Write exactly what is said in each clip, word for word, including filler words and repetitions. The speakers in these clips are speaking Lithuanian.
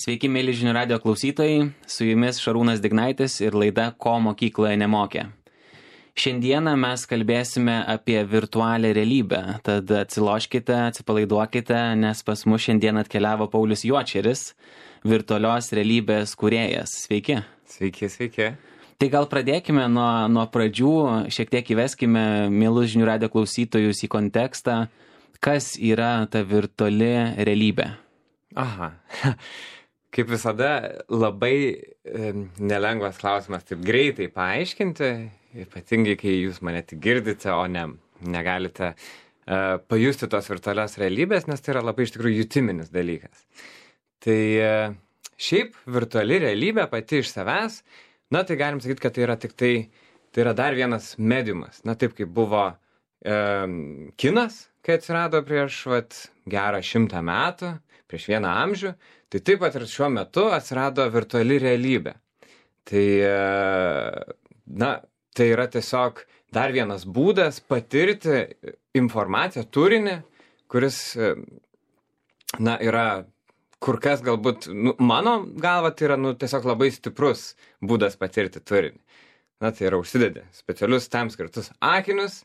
Sveiki, mėly žinių radio klausytojai, su jumis Šarūnas Dignaitis ir laida Ko mokykloje nemokė. Šiandieną mes kalbėsime apie virtualią realybę, tad atsiloškite, atsipalaiduokite, nes pas mus šiandien atkeliavo Paulius Juočeris, virtualios realybės kūrėjas. Sveiki. Sveiki, sveiki. Tai gal pradėkime nuo, nuo pradžių, šiek tiek įveskime mielus žinių radio klausytojus į kontekstą, kas yra ta virtuali realybė. Aha. Kaip visada, labai e, nelengvas klausimas taip greitai paaiškinti, ypatingai kai jūs mane tik girdite, o ne negalite e, pajusti tos virtualios realybės, nes tai yra labai iš tikrųjų jutiminis dalykas. Tai e, šiaip virtuali realybė pati iš savęs, na tai galim sakyti, kad tai yra tik tai, tai yra dar vienas mediumas. Na taip kaip buvo e, kinas, kai atsirado prieš vat, gerą šimtą metų, prieš vieną amžių, tai taip pat ir šiuo metu atsirado virtuali realybė. Tai, na, tai yra tiesiog dar vienas būdas patirti informaciją, turinį, kuris, na, yra kur kas galbūt, nu, mano galva, tai yra, nu, tiesiog labai stiprus būdas patirti turinį. Na, tai yra užsidedi specialius tam skirtus akinius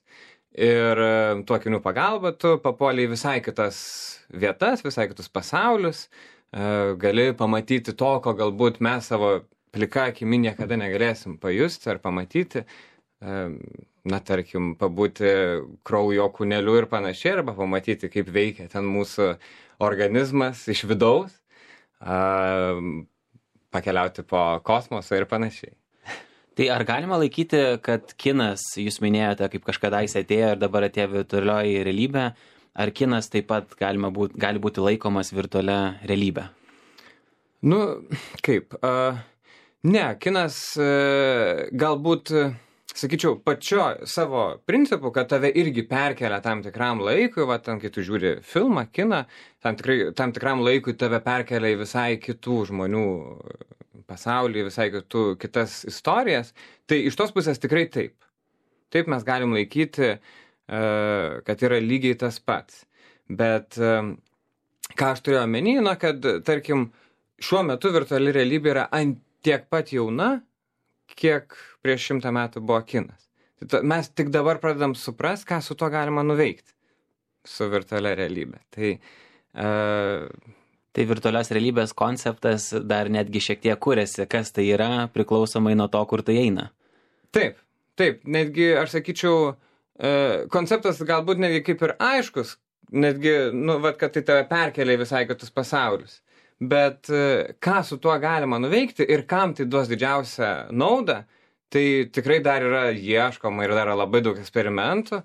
ir tuo akinių pagalba tu papuoliai visai kitas vietas, visai kitus pasaulius, gali pamatyti to, ko galbūt mes savo plika akimi niekada negalėsim pajusti ar pamatyti, na, tarkim, pabūti kraujo kūneliu ir panašiai, arba pamatyti, kaip veikia ten mūsų organizmas iš vidaus, pakeliauti po kosmosą ir panašiai. Tai ar galima laikyti, kad kinas, jūs minėjote, kaip kažkadaise atėjo ir dabar atėjo virtualioji realybė, ar kinas taip pat galima būt, gali būti laikomas virtualia realybė? Nu, kaip? Uh, ne, kinas uh, galbūt, sakyčiau, pačio savo principu, kad tave irgi perkelia tam tikram laikui, va, tam, kai tu žiūri filmą, kiną, tam, tikrai, tam tikram laikui tave perkelia į visai kitų žmonių pasaulį, visai kitų, kitas istorijas, tai iš tos pusės tikrai taip. Taip mes galim laikyti, uh, kad yra lygiai tas pats. Bet uh, ką aš turėjau omeny, na, kad, tarkim, šiuo metu virtuali realybė yra ant tiek pat jauna, kiek prieš šimtą metų buvo kinas. Mes tik dabar pradedam suprast, ką su to galima nuveikti su virtualia realybė. Tai, uh, tai virtualios realybės konceptas dar netgi šiek tiek kuriasi, kas tai yra, priklausomai nuo to, kur tai eina. Taip, taip, netgi aš sakyčiau, uh, konceptas galbūt netgi kaip ir aiškus, netgi, nu, vat, kad tai tave perkelia į visai kitus pasaulius. Bet ką su tuo galima nuveikti ir kam tai duos didžiausią naudą, tai tikrai dar yra ieškoma ir dar yra labai daug eksperimentų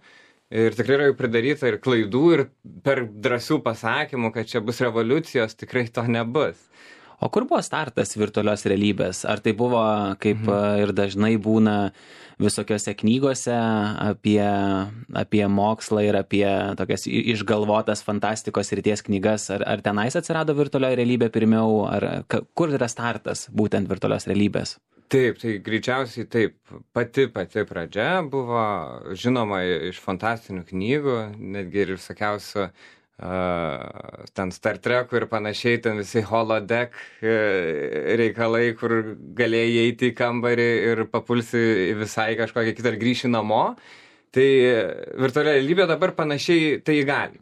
ir tikrai yra jau pridaryta ir klaidų ir per drąsių pasakymų, kad čia bus revoliucijos, tikrai to nebus. O kur buvo startas virtualios realybės? Ar tai buvo, kaip mhm. ir dažnai būna visokiose knygose apie, apie mokslą ir apie tokias išgalvotas fantastikos srities knygas, ar, ar tenais atsirado virtualioji realybė pirmiau, ar kur yra startas būtent virtualios realybės? Taip, tai greičiausiai taip. Pati pati pradžia buvo žinoma iš fantastinių knygų, netgi ir visokiausių uh, ten Star Trekų ir panašiai, ten visi holodeck reikalai, kur galėjai eiti į kambarį ir papulsi visai kažkokią kitą ir grįši namo. Tai virtualia realybė dabar panašiai tai galime.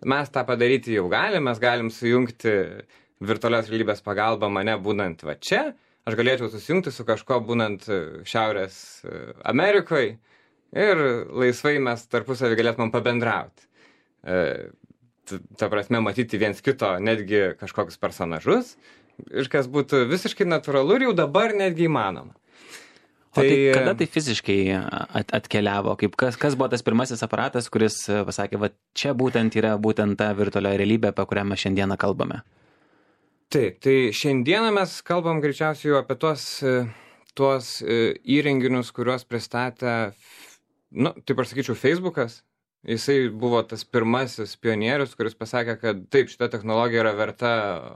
Mes tą padaryti jau galim, mes galim sujungti virtualios realybės pagalba mane būnant va čia. Aš galėčiau susijungti su kažko būnant Šiaurės Amerikoje ir laisvai mes tarpusavį galėtumėm pabendrauti. E, ta prasme, matyti viens kito netgi kažkokius personažus, ir kas būtų visiškai natūralu ir jau dabar netgi įmanoma. O tai, tai kada tai fiziškai at, atkeliavo? Kaip kas, kas buvo tas pirmasis aparatas, kuris pasakė, va čia būtent yra būtent ta virtualioji realybė, apie kurią mes šiandieną kalbame? Taip, tai šiandieną mes kalbam greičiausiai jau apie tuos, tuos įrenginius, kuriuos pristatė, nu, taip aš sakyčiau, Facebookas. Jisai buvo tas pirmasis pionierius, kuris pasakė, kad taip, šita technologija yra verta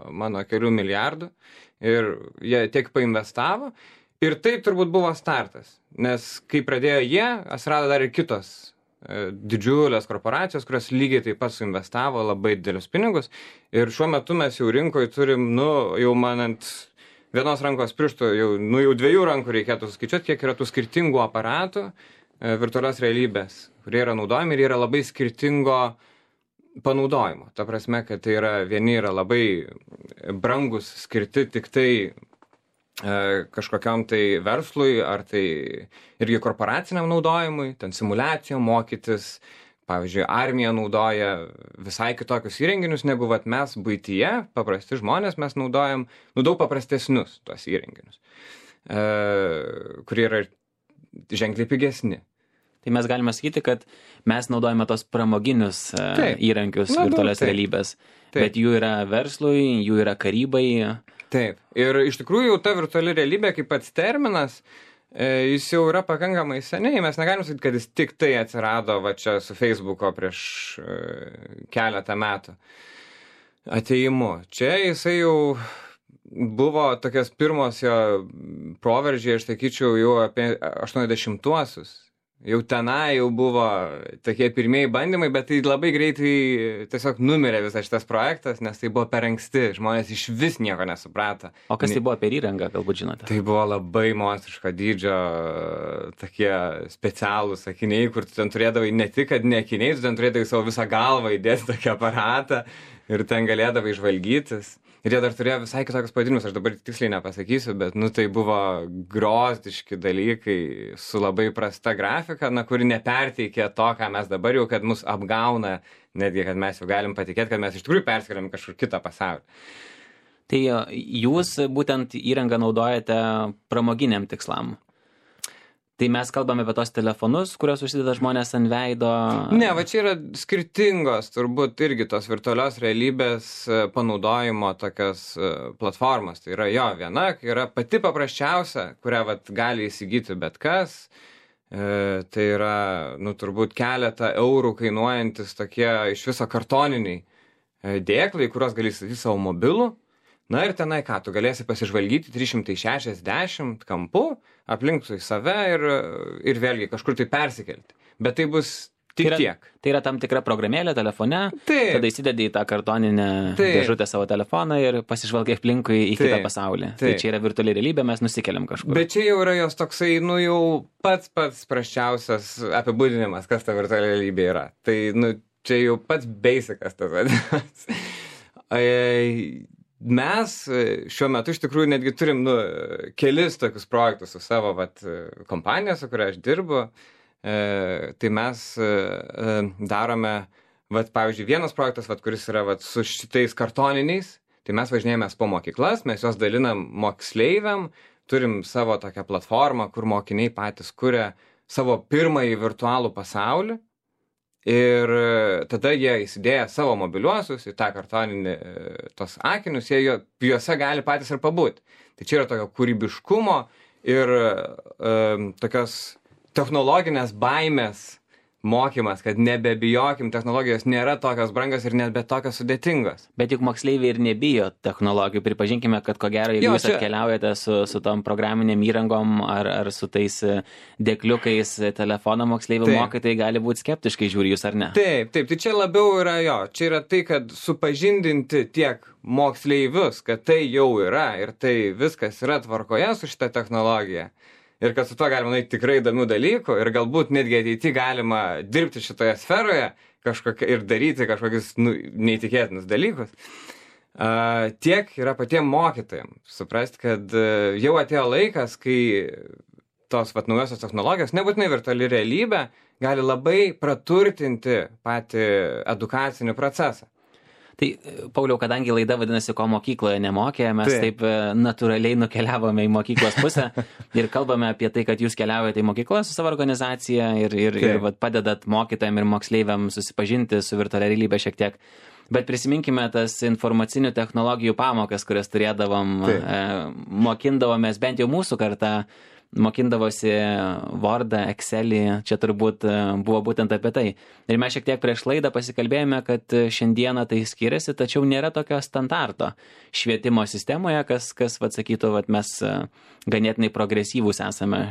mano kelių milijardų ir jie tiek painvestavo. Ir tai turbūt buvo startas, nes kai pradėjo jie, atsirado dar ir kitos didžiulės korporacijos, kurios lygiai taip pat suinvestavo labai didelius pinigus. Ir šiuo metu mes jau rinkoje turim, nu, jau manant vienos rankos pirštų, jau, nu, jau dviejų rankų reikėtų suskaičiuoti, kiek yra tų skirtingų aparatų virtualios realybės, kurie yra naudojami ir yra labai skirtingo panaudojimo. Ta prasme, kad tai yra, vieni yra labai brangus, skirti tik tai kažkokiam tai verslui, ar tai irgi korporaciniam naudojimui, ten simulacijom mokytis. Pavyzdžiui, armija naudoja visai kitokius įrenginius, negu vat mes buityje, paprasti žmonės, mes naudojam nu, daug paprastesnius tuos įrenginius, e, kurie yra ženkliai pigesni. Tai mes galime sakyti, kad mes naudojame tos pramoginius Taip. įrankius Na, virtualios Taip. realybės, Taip. bet jų yra verslui, jų yra karybai. Taip. Ir iš tikrųjų ta virtuali realybė kaip pats terminas, jis jau yra pakankamai seniai. Mes negalim sakyti, kad jis tik tai atsirado va čia su Facebooko prieš keletą metų atėjimu. Čia jisai jau buvo tokios pirmos jo proveržiai, aš sakyčiau, jau apie aštuoniasdešimtuosius. Jau tenai jau buvo tokie pirmieji bandymai, bet tai labai greitai tiesiog numirė visas šitas projektas, nes tai buvo per anksti, žmonės iš vis nieko nesuprato. O kas tai buvo per įrangą, galbūt žinote? Tai buvo labai monstriško dydžio tokie specialūs akiniai, kur tu ten turėdavai ne tik, kad ne akiniai, tu ten turėdavai savo visą galvą įdėti tokį aparatą ir ten galėdavai žvalgytis. Ir jie dar turėjo visai kitokius pavadinimus, aš dabar tiksliai nepasakysiu, bet nu tai buvo grozdiški dalykai su labai prasta grafika, na, kuri neperteikė to, ką mes dabar jau, kad mus apgauna, netgi, kad mes jau galim patikėti, kad mes iš tikrųjų perskeliam kažkur kitą pasaulį. Tai jūs būtent įrangą naudojate pramoginiam tikslam. Tai mes kalbame apie tos telefonus, kurios užsideda žmonės ant veido. Ne, va čia yra skirtingos, turbūt irgi tos virtualios realybės panaudojimo tokios platformos. Tai yra jo viena, yra pati paprasčiausia, kurią vat gali įsigyti bet kas. E, tai yra, nu, turbūt keletą eurų kainuojantis tokie iš viso kartoniniai dėklai, kuriuos gali įsigyti savo mobilų. Na ir tenai ką, tu galėsi pasižvalgyti trys šimtai šešiasdešimt kampų aplinkui save ir, ir vėlgi kažkur tai persikelti. Bet tai bus tik tai yra, tiek. Tai yra tam tikra programėlė telefone, Taip. tada įsidedi į tą kartoninę Taip. dėžutę savo telefoną ir pasižvalgai aplinkui į Taip. kitą pasaulį. Taip. Tai čia yra virtuali realybė, mes nusikeliam kažkur. Bet čia jau yra jos toksai, nu jau pats pats prasčiausias apibūdinimas, kas ta virtuali realybė yra. Tai, nu, čia jau pats basicas tas vadinamas. Mes šiuo metu iš tikrųjų netgi turim nu, kelis tokius projektus su savo vat, kompanija, su kuria aš dirbu. E, tai mes e, darome, vat, pavyzdžiui, vienas projektas, vat, kuris yra vat, su šitais kartoniniais. Tai mes važinėjomės po mokyklas, mes juos dalinam moksleiviam, turim savo tokią platformą, kur mokiniai patys kuria savo pirmąjį virtualų pasaulį. Ir tada jie įsidėję savo mobiliuosius į tą kartoninį tos akinius, jie juose gali patys ir pabūti. Tai čia yra tokio kūrybiškumo ir e, tokios technologinės baimės mokymas, kad nebebijokim, technologijos nėra tokios brangios ir nebe tokios sudėtingos. Bet juk moksleiviai ir nebijo technologijų. Pripažinkime, kad ko gero, jeigu jo, jūs čia... atkeliaujate su, su tom programinėm įrangom ar, ar su tais dėkliukais telefono moksleivių mokytojai gali būti skeptiškai žiūri jūs ar ne. Taip, taip, tai čia labiau yra jo, čia yra tai, kad supažindinti tiek moksleivius, kad tai jau yra ir tai viskas yra tvarkoje su šita technologija. Ir kad su to galima daryti tikrai įdomių dalykų ir galbūt netgi ateityje galima dirbti šitoje sferoje kažkokia, ir daryti kažkokius nu, neįtikėtinus dalykus. Uh, tiek yra patiem mokytojams. Suprasti, kad uh, jau atėjo laikas, kai tos vat, naujosios technologijos, nebūtinai virtuali realybė, gali labai praturtinti patį edukacinį procesą. Tai, Pauliau, kadangi laida vadinasi, ko mokykloje nemokė, mes taip, taip natūraliai nukeliavome į mokyklos pusę ir kalbame apie tai, kad jūs keliaujate į mokyklą su savo organizacija ir, ir, ir vat, padedat mokytojams ir moksleiviams susipažinti su virtualia realybė šiek tiek. Bet prisiminkime tas informacinių technologijų pamokas, kurias turėdavom, e, mokindavomės, bent jau mūsų kartą, mokindavosi Wordą, Excelį, čia turbūt buvo būtent apie tai. Ir mes šiek tiek prieš laidą pasikalbėjome, kad šiandieną tai skiriasi, tačiau nėra tokio standarto švietimo sistemoje, kas, kas vat, sakytų, vat, mes ganėtinai progresyvūs esame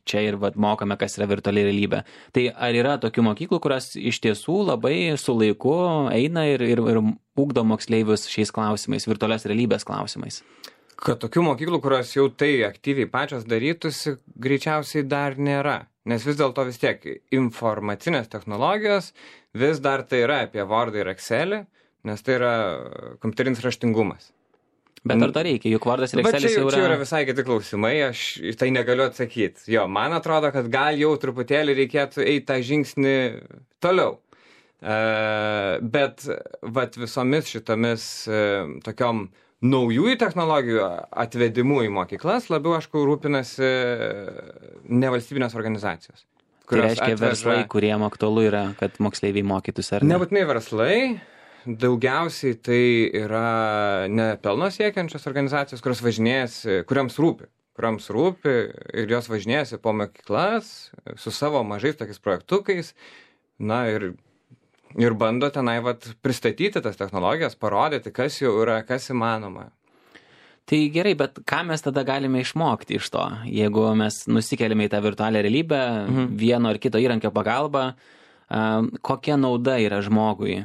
čia ir vat, mokame, kas yra virtuali realybė. Tai ar yra tokių mokyklų, kurios iš tiesų labai su laiku eina ir, ir, ir ugdo moksleivius šiais klausimais, virtualios realybės klausimais? Kad tokių mokyklų, kurios jau tai aktyviai pačios darytųsi, greičiausiai dar nėra. Nes vis dėlto vis tiek informacinės technologijos vis dar tai yra apie Wordą ir Excelį, nes tai yra kompiuterinis raštingumas. Bet ar to reikia, juk Wordas ir Excelis jau yra... Čia yra visai kiti klausimai, aš tai negaliu atsakyti. Jo, man atrodo, kad gal jau truputėlį reikėtų eiti tą žingsnį toliau. Uh, bet vat visomis šitomis uh, tokiom naujųjų technologijų atvedimu į mokyklas labiau, aišku, rūpinasi nevalstybinės organizacijos. Tai reiškia atveža... verslai, kuriem aktualu yra, kad moksleiviai mokytųsi, ar ne? Nebūtinai verslai, daugiausiai tai yra nepelno siekiančios organizacijos, kurios važinėjasi, kuriams rūpi, kuriams rūpi ir jos važinėjasi po mokyklas su savo mažais tokiais projektukais, na ir Ir bando tenai vat, pristatyti tas technologijas, parodyti, kas jau yra, kas įmanoma. Tai gerai, bet ką mes tada galime išmokti iš to? Jeigu mes nusikeliame į tą virtualią realybę, mhm. vieno ar kito įrankio pagalba, kokia nauda yra žmogui?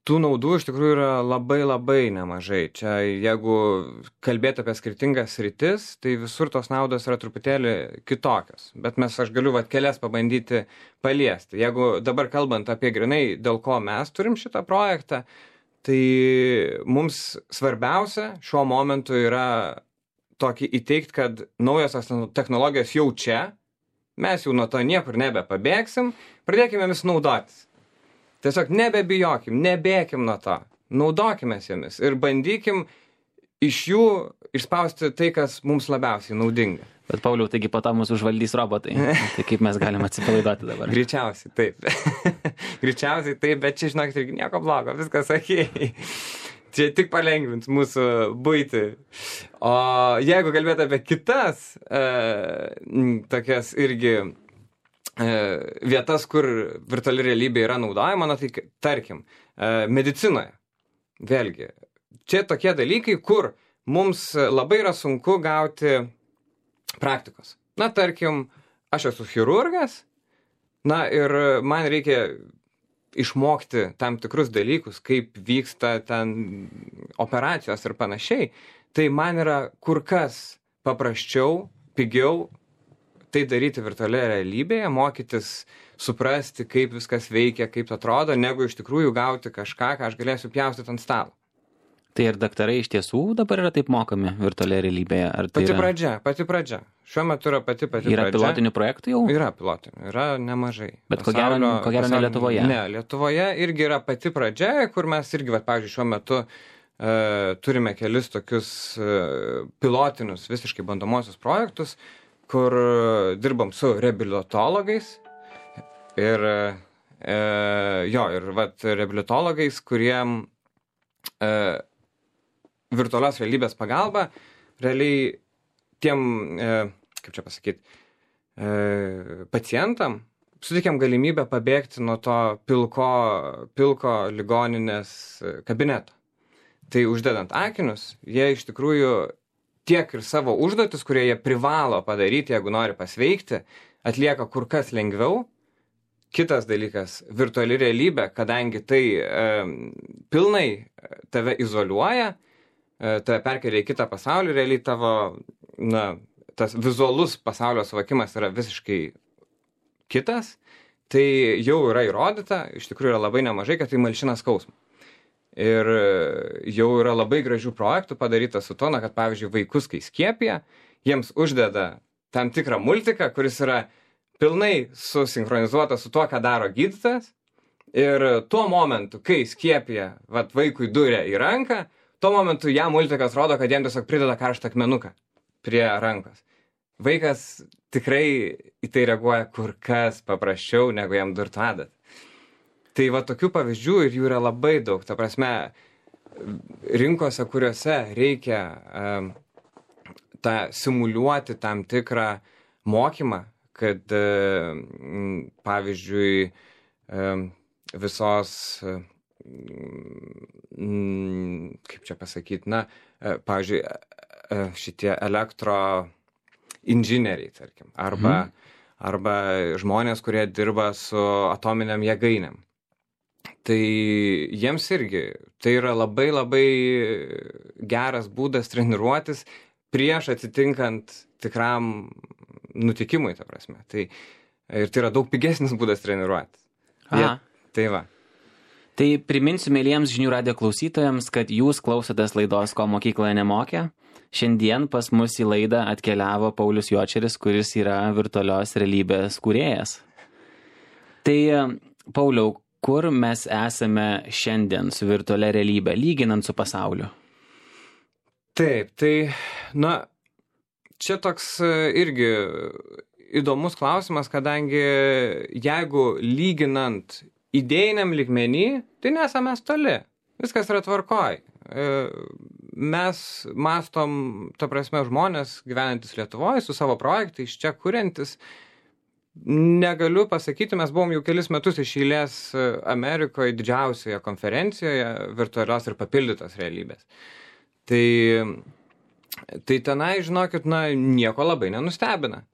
Tų naudų iš tikrųjų yra labai labai nemažai. Čia jeigu kalbėti apie skirtingas sritis, tai visur tos naudos yra truputėlį kitokios. Bet mes aš galiu vat, kelias pabandyti paliesti. Jeigu dabar kalbant apie grinai, dėl ko mes turim šitą projektą, tai mums svarbiausia šiuo momentu yra tokį įteikti, kad naujosios technologijos jau čia, mes jau nuo to niekur nebepabėgsim, pradėkime vis naudotis. Tiesiog nebebijokim, nebėkim nuo to, naudokime jomis ir bandykim iš jų išspausti tai, kas mums labiausiai naudinga. Bet Pauliau, taigi po to mūsų užvaldys robotai. Tai kaip mes galim atsipalaiduoti dabar? Greičiausiai taip. Greičiausiai taip, bet čia, žinokit, irgi nieko blogo, viskas okei. Čia tik palengvins mūsų buitį. O jeigu kalbėt apie kitas e, tokias irgi vietas, kur virtuali realybė yra naudojama, na tai tarkim, medicinoje. Vėlgi, čia tokie dalykai, kur mums labai yra sunku gauti praktikos. Na, tarkim, aš esu chirurgas, na ir man reikia išmokti tam tikrus dalykus, kaip vyksta ten operacijos ir panašiai. Tai man yra kur kas paprasčiau, pigiau tai daryti virtualioje realybėje, mokytis, suprasti, kaip viskas veikia, kaip atrodo, negu iš tikrųjų gauti kažką, ką aš galėsiu pjaustyti ant stalo. Tai ir daktarai iš tiesų dabar yra taip mokami virtualioje realybėje? Ar tai pati yra... pradžia, pati pradžia. Šiuo metu yra pati pati yra pradžia. Yra pilotinių projektų jau? Yra pilotinių, yra nemažai. Bet ko gero, ko gero ne Lietuvoje? Ne, Lietuvoje irgi yra pati pradžia, kur mes irgi, vat, pavyzdžiui, šiuo metu uh, turime kelis tokius uh, pilotinius, visiškai bandomosius projektus, kur dirbam su reabilitologais ir, e, jo, ir vat, reabilitologais, kuriem e, virtualios realybės pagalba realiai tiem, e, kaip čia pasakyti, e, pacientam suteikiam galimybę pabėgti nuo to pilko, pilko ligoninės kabineto. Tai uždedant akinius, jie iš tikrųjų tiek ir savo užduotis, kurie jie privalo padaryti, jeigu nori pasveikti, atlieka kur kas lengviau. Kitas dalykas, virtuali realybė, kadangi tai e, pilnai tave izoliuoja, e, tave perkelia į kitą pasaulį, realiai tavo, na, tas vizualus pasaulio suvokimas yra visiškai kitas, tai jau yra įrodyta, iš tikrųjų yra labai nemažai, kad tai malšina skausmą. Ir jau yra labai gražių projektų padaryta su to, na, kad pavyzdžiui vaikus, kai skiepija, jiems uždeda tam tikrą multiką, kuris yra pilnai susinchronizuotas su tuo, ką daro gydytojas. Ir tuo momentu, kai skiepija vat, vaikui duria į ranką, tuo momentu jam multikas rodo, kad jam tiesiog prideda karštą akmenuką prie rankos. Vaikas tikrai į tai reaguoja kur kas paprasčiau, negu jam durtų adat. Tai va tokių pavyzdžių ir jų yra labai daug. Ta prasme, rinkose, kuriuose reikia um, tą simuliuoti tam tikrą mokymą, kad, pavyzdžiui, visos, kaip čia pasakyti, na, pavyzdžiui, šitie elektro inžinieriai, tarkim, arba, mhm. arba žmonės, kurie dirba su atominiam jėgainėm. Tai jiems irgi tai yra labai labai geras būdas treniruotis prieš atsitinkant tikram nutikimui, ta prasme. Tai, ir tai yra daug pigesnis būdas treniruotis. Jie, tai va. Tai priminsiu mėlyjams žinių radijo klausytojams, kad jūs klausotės laidos Ko mokykloje nemokė. Šiandien pas mus į laidą atkeliavo Paulius Juočeris, kuris yra virtualios realybės kūrėjas. Tai, Pauliau, kur mes esame šiandien su virtualia realybė, lyginant su pasauliu? Taip, tai, na, čia toks irgi įdomus klausimas, kadangi jeigu lyginant idėjiniam lygmenį, tai nesame mes toli. Viskas yra tvarkoj. Mes mastom, ta prasme, žmonės gyvenantis Lietuvoje su savo projektais, čia kuriantis. Negaliu pasakyti, mes buvom jau kelis metus iš eilės Amerikoje didžiausioje konferencijoje virtualios ir papildytos realybės. Tai, tai tenai, žinokit, na, nieko labai nenustebina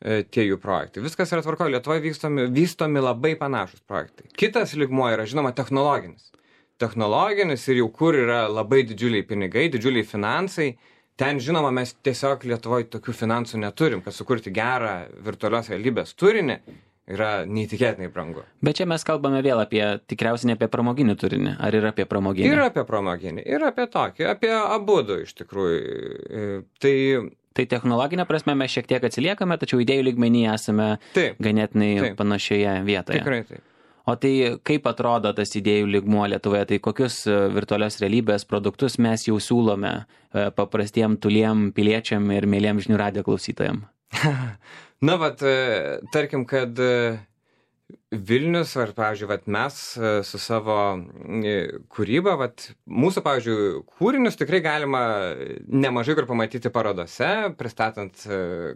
tie jų projektai. Viskas yra tvarkoje, Lietuvoje vystomi, vystomi labai panašus projektai. Kitas lygmuo yra, žinoma, technologinis. Technologinis ir jau kur yra labai didžiuliai pinigai, didžiuliai finansai. Ten, žinoma, mes tiesiog Lietuvoje tokių finansų neturim, kad sukurti gerą virtualios realybės turinį yra neįtikėtinai brangu. Bet čia mes kalbame vėl apie, tikriausiai ne apie pramoginį turinį, ar ir apie pramoginį? Ir apie pramoginį, ir apie tokį, apie abudu iš tikrųjų. Tai, tai technologinė prasme mes šiek tiek atsiliekame, tačiau idėjų lygmenį esame taip, ganėtinai taip, panašioje vietoje. Tikrai taip. O tai kaip atrodo tas idėjų lygmuo Lietuvoje, tai kokius virtualios realybės produktus mes jau siūlome paprastiem tuliem piliečiam ir mėliem žinių radijo klausytojam? Na, vat, tarkim, kad Vilnius, ar, pavyzdžiui, vat, mes su savo kūryba, vat, mūsų, pavyzdžiui, kūrinius tikrai galima nemažai kur pamatyti parodose, pristatant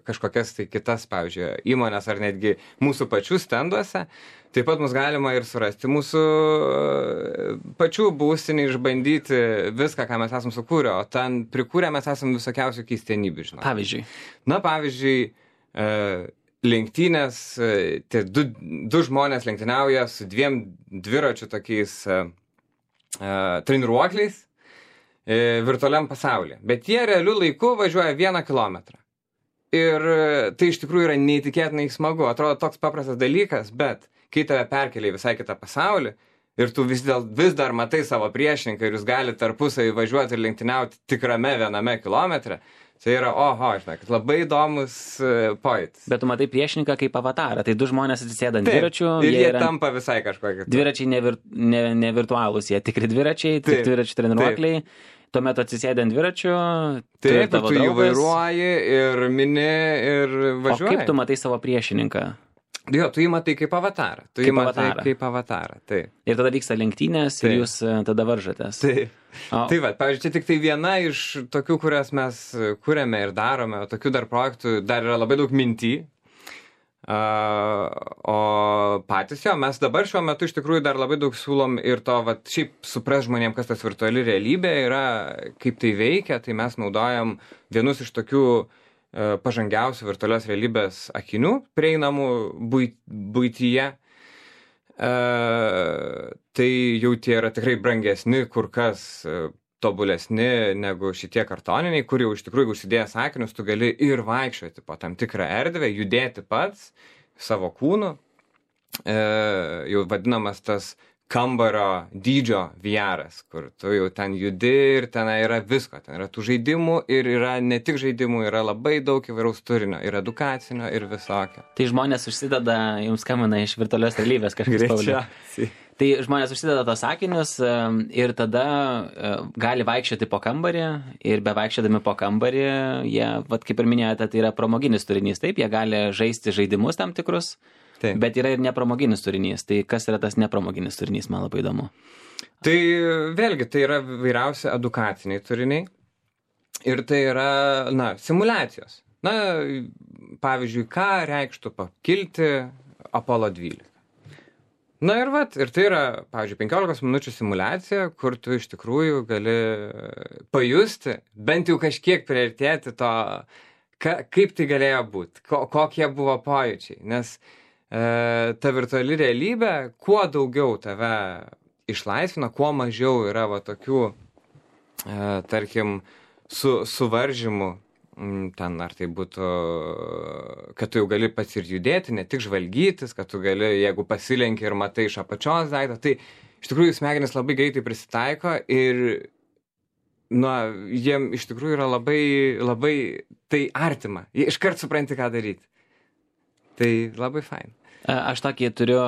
kažkokias tai kitas, pavyzdžiui, įmonės ar netgi mūsų pačių stenduose. Taip pat mus galima ir surasti mūsų pačių būstinį, išbandyti viską, ką mes esam sukūrę, o ten prikūrę mes esam visokiausių keistenybių, žinoma. Pavyzdžiui? Na, pavyzdžiui, lenktynės, tie du, du žmonės lenktyniauja su dviem dviračių tokiais uh, treniruokliais uh, virtualiam pasaulyje. Bet jie realiu laiku važiuoja vieną kilometrą. Ir uh, tai iš tikrųjų yra neįtikėtinai smagu. Atrodo toks paprastas dalykas, bet kai tave perkelia į visai kitą pasaulį ir tu vis, dėl, vis dar matai savo priešininką ir jūs galite tarpusavį važiuoti ir lenktyniauti tikrame viename kilometre, tai yra, oho, žinai, kad labai įdomus pojūtis. Bet tu matai priešininką kaip avatarą, tai du žmonės atsisėda ant dviračių. Ir jie, jie yra... tampa visai kažkokie. Dviračiai ne, vir... ne, ne virtualūs, jie tikri dviračiai, tik dviračių treniruokliai. Tuomet atsisėda ant dviračių. Taip, tu jį vairuoji ir mini ir važiuoji. O kaip tu matai savo priešininką? Jo, tu jį matai kaip avatarą. Tu jį matai kaip avatarą, taip. Ir tada vyksta lenktynės ir jūs tada varžotės. Taip. O. Tai va, pavyzdžiui, čia tik tai viena iš tokių, kurias mes kuriame ir darome, o tokių dar projektų dar yra labai daug mintį. Uh, o patys jo, mes dabar šiuo metu iš tikrųjų dar labai daug siūlom ir to, va, šiaip supras žmonėm, kas tas virtuali realybė yra, kaip tai veikia, tai mes naudojam vienus iš tokių uh, pažangiausių virtualios realybės akinių, prieinamų buityje. Uh, tai jau tie yra tikrai brangesni, kur kas uh, tobulesni negu šitie kartoniniai, kur jau iš tikrųjų užsidėjęs akinius, tu gali ir vaikščioti po tam tikrą erdvę, judėti pats savo kūnu. E, jau vadinamas tas kambario dydžio V R-as, kur tu jau ten judi ir ten yra visko. Ten yra tų žaidimų ir yra ne tik žaidimų, yra labai daug įvairaus turinio, ir edukacinio, ir visokio. Tai žmonės užsideda, jums skambina iš virtualios realybės kažkas Pauliau. Tai žmonės užsideda tos sakinius ir tada gali vaikščioti po kambarį ir bevaikščiodami po kambarį, jie, vat, kaip ir minėjote, tai yra pramoginis turinys, taip, jie gali žaisti žaidimus tam tikrus, taip. Bet yra ir nepramoginis turinys. Tai kas yra tas nepramoginis turinys, man labai įdomu. Tai vėlgi, tai yra vairiausi edukaciniai turiniai Ir tai yra, na, simulacijos. Na, pavyzdžiui, ką reikštų pakilti Apollo dvylika. Na ir vat, ir tai yra, pavyzdžiui, penkiolikos minučių simulacija, kur tu iš tikrųjų gali pajusti, bent jau kažkiek priartėti to, ka, kaip tai galėjo būti, ko, kokie buvo pojūčiai. Nes e, ta virtuali realybė, kuo daugiau tave išlaisvina, kuo mažiau yra va tokių, e, tarkim, su suvaržymu, ten ar tai būtų, kad tu jau gali pats ir judėti, ne tik žvalgytis, kad tu gali, jeigu pasilenki ir matai iš apačios daiktą, tai iš tikrųjų smegenys labai greitai prisitaiko ir, na, jiem iš tikrųjų yra labai, labai tai artima. Jie iškart supranti, ką daryti. Tai labai fain. Aš tokį turiu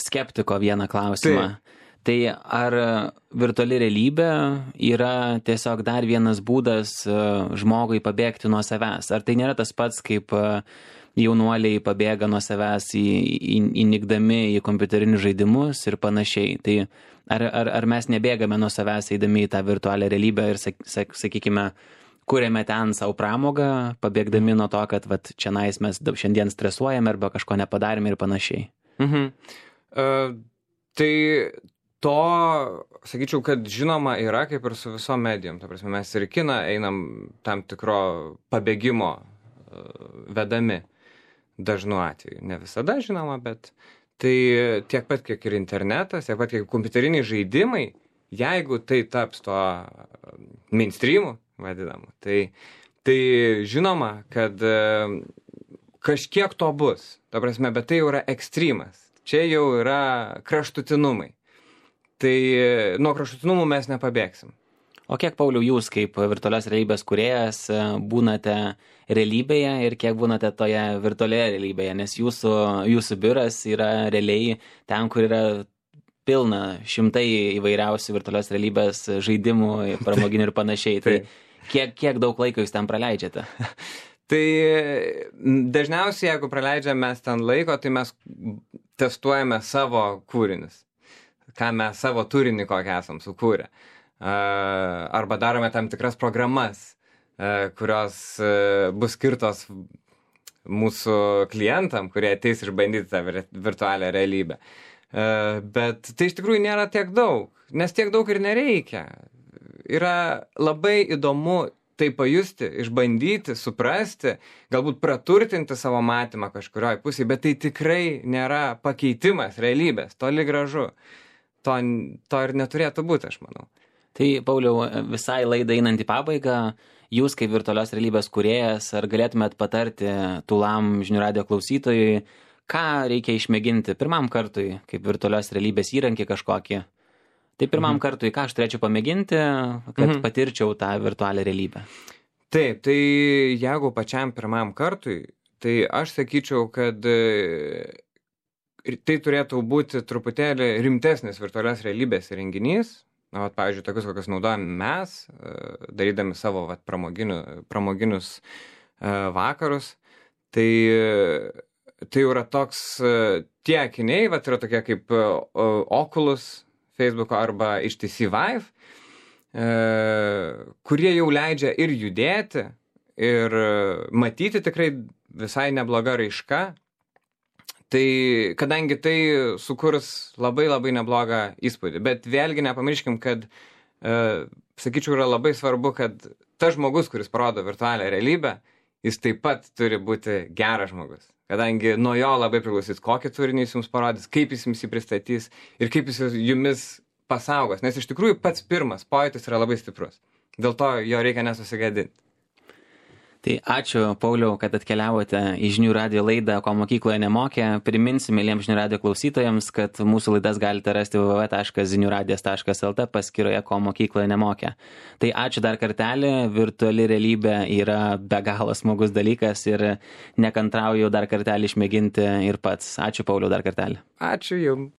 skeptiko vieną klausimą. Tai. Tai ar virtuali realybė yra tiesiog dar vienas būdas žmogui pabėgti nuo savęs? Ar tai nėra tas pats, kaip jaunuoliai pabėga nuo savęs į, į, įnikdami į kompiuterinius žaidimus ir panašiai? Tai ar, ar, ar mes nebėgame nuo savęs eidami į tą virtualią realybę ir, sak, sak, sakykime, kuriame ten savo pramogą, pabėgdami nuo to, kad vat, čia nais mes šiandien stresuojame arba kažko nepadarėme ir panašiai? Mhm. Uh, tai... To, sakyčiau, kad žinoma yra kaip ir su visom medijom. Ta prasme, mes ir į kiną einam tam tikro pabėgimo vedami dažnu atveju. Ne visada, žinoma, bet tai tiek pat, kiek ir internetas, tiek pat, kiek kompiuteriniai žaidimai, jeigu tai taps to mainstreamu, vadinamu, tai, tai žinoma, kad kažkiek to bus. Ta prasme, bet tai jau yra ekstremas. Čia jau yra kraštutinumai. Tai nuo kraštutinumų mes nepabėgsim. O kiek, Pauliau, jūs kaip virtualios realybės kūrėjas būnate realybėje ir kiek būnate toje virtualioje realybėje? Nes jūsų, jūsų biuras yra realiai ten, kur yra pilna šimtai įvairiausių virtualios realybės žaidimų, pramoginių ir panašiai. Tai kiek, kiek daug laiko jūs ten praleidžiate? Tai dažniausiai, jeigu praleidžiame mes ten laiko, tai mes testuojame savo kūrinius. Ką mes savo turinį kokią esam sukūrę. Arba darome tam tikras programas, kurios bus skirtos mūsų klientam, kurie ateis išbandyti tą virtualią realybę. Bet tai iš tikrųjų nėra tiek daug, nes tiek daug ir nereikia. Yra labai įdomu tai pajusti, išbandyti, suprasti, galbūt praturtinti savo matymą kažkurioj pusėje, bet tai tikrai nėra pakeitimas realybės, toli gražu. To, to ir neturėtų būti, aš manau. Tai, Pauliau, visai laidai einant į pabaigą, jūs kaip virtualios realybės kūrėjas, ar galėtumėt patarti tūlam žinių radijo klausytojui, ką reikia išmėginti pirmam kartui, kaip virtualios realybės įrankį kažkokį? Tai pirmam mhm. kartui, ką aš turėčiau pamėginti, kad mhm. patirčiau tą virtualią realybę? Taip, tai jeigu pačiam pirmam kartui, tai aš sakyčiau, kad tai turėtų būti truputėlį rimtesnis virtualios realybės renginys. Na, vat, pavyzdžiui, tokius, kokius naudojame mes, darydami savo vat, pramoginių, pramoginius vakarus. Tai, tai yra toks, tie akiniai, vat, yra tokie kaip Oculus, Facebooko arba H T C Vive, kurie jau leidžia ir judėti, ir matyti tikrai visai nebloga raiška. Tai kadangi tai sukurs labai labai neblogą įspūdį. Bet vėlgi nepamirškim, kad, e, sakyčiau, yra labai svarbu, kad tas žmogus, kuris parodo virtualią realybę, jis taip pat turi būti geras žmogus. Kadangi nuo jo labai priklausys, kokį turinį jis jums parodys, kaip jis jums jį pristatys ir kaip jis jumis pasaugos. Nes iš tikrųjų pats pirmas pojūtis yra labai stiprus. Dėl to jo reikia nesusigadinti. Tai ačiū, Pauliau, kad atkeliavote į žinių radijo laidą, ko mokykloje nemokė. Priminsiu mėlyms žinių radijo klausytojams, kad mūsų laidas galite rasti w w w taškas zinių radijas taškas l t paskyroje, ko mokykloje nemokė. Tai ačiū dar kartelį, virtuali realybė yra be galo smagus dalykas ir nekantrauju dar kartelį išmėginti ir pats. Ačiū, Pauliau, dar kartelį. Ačiū jums.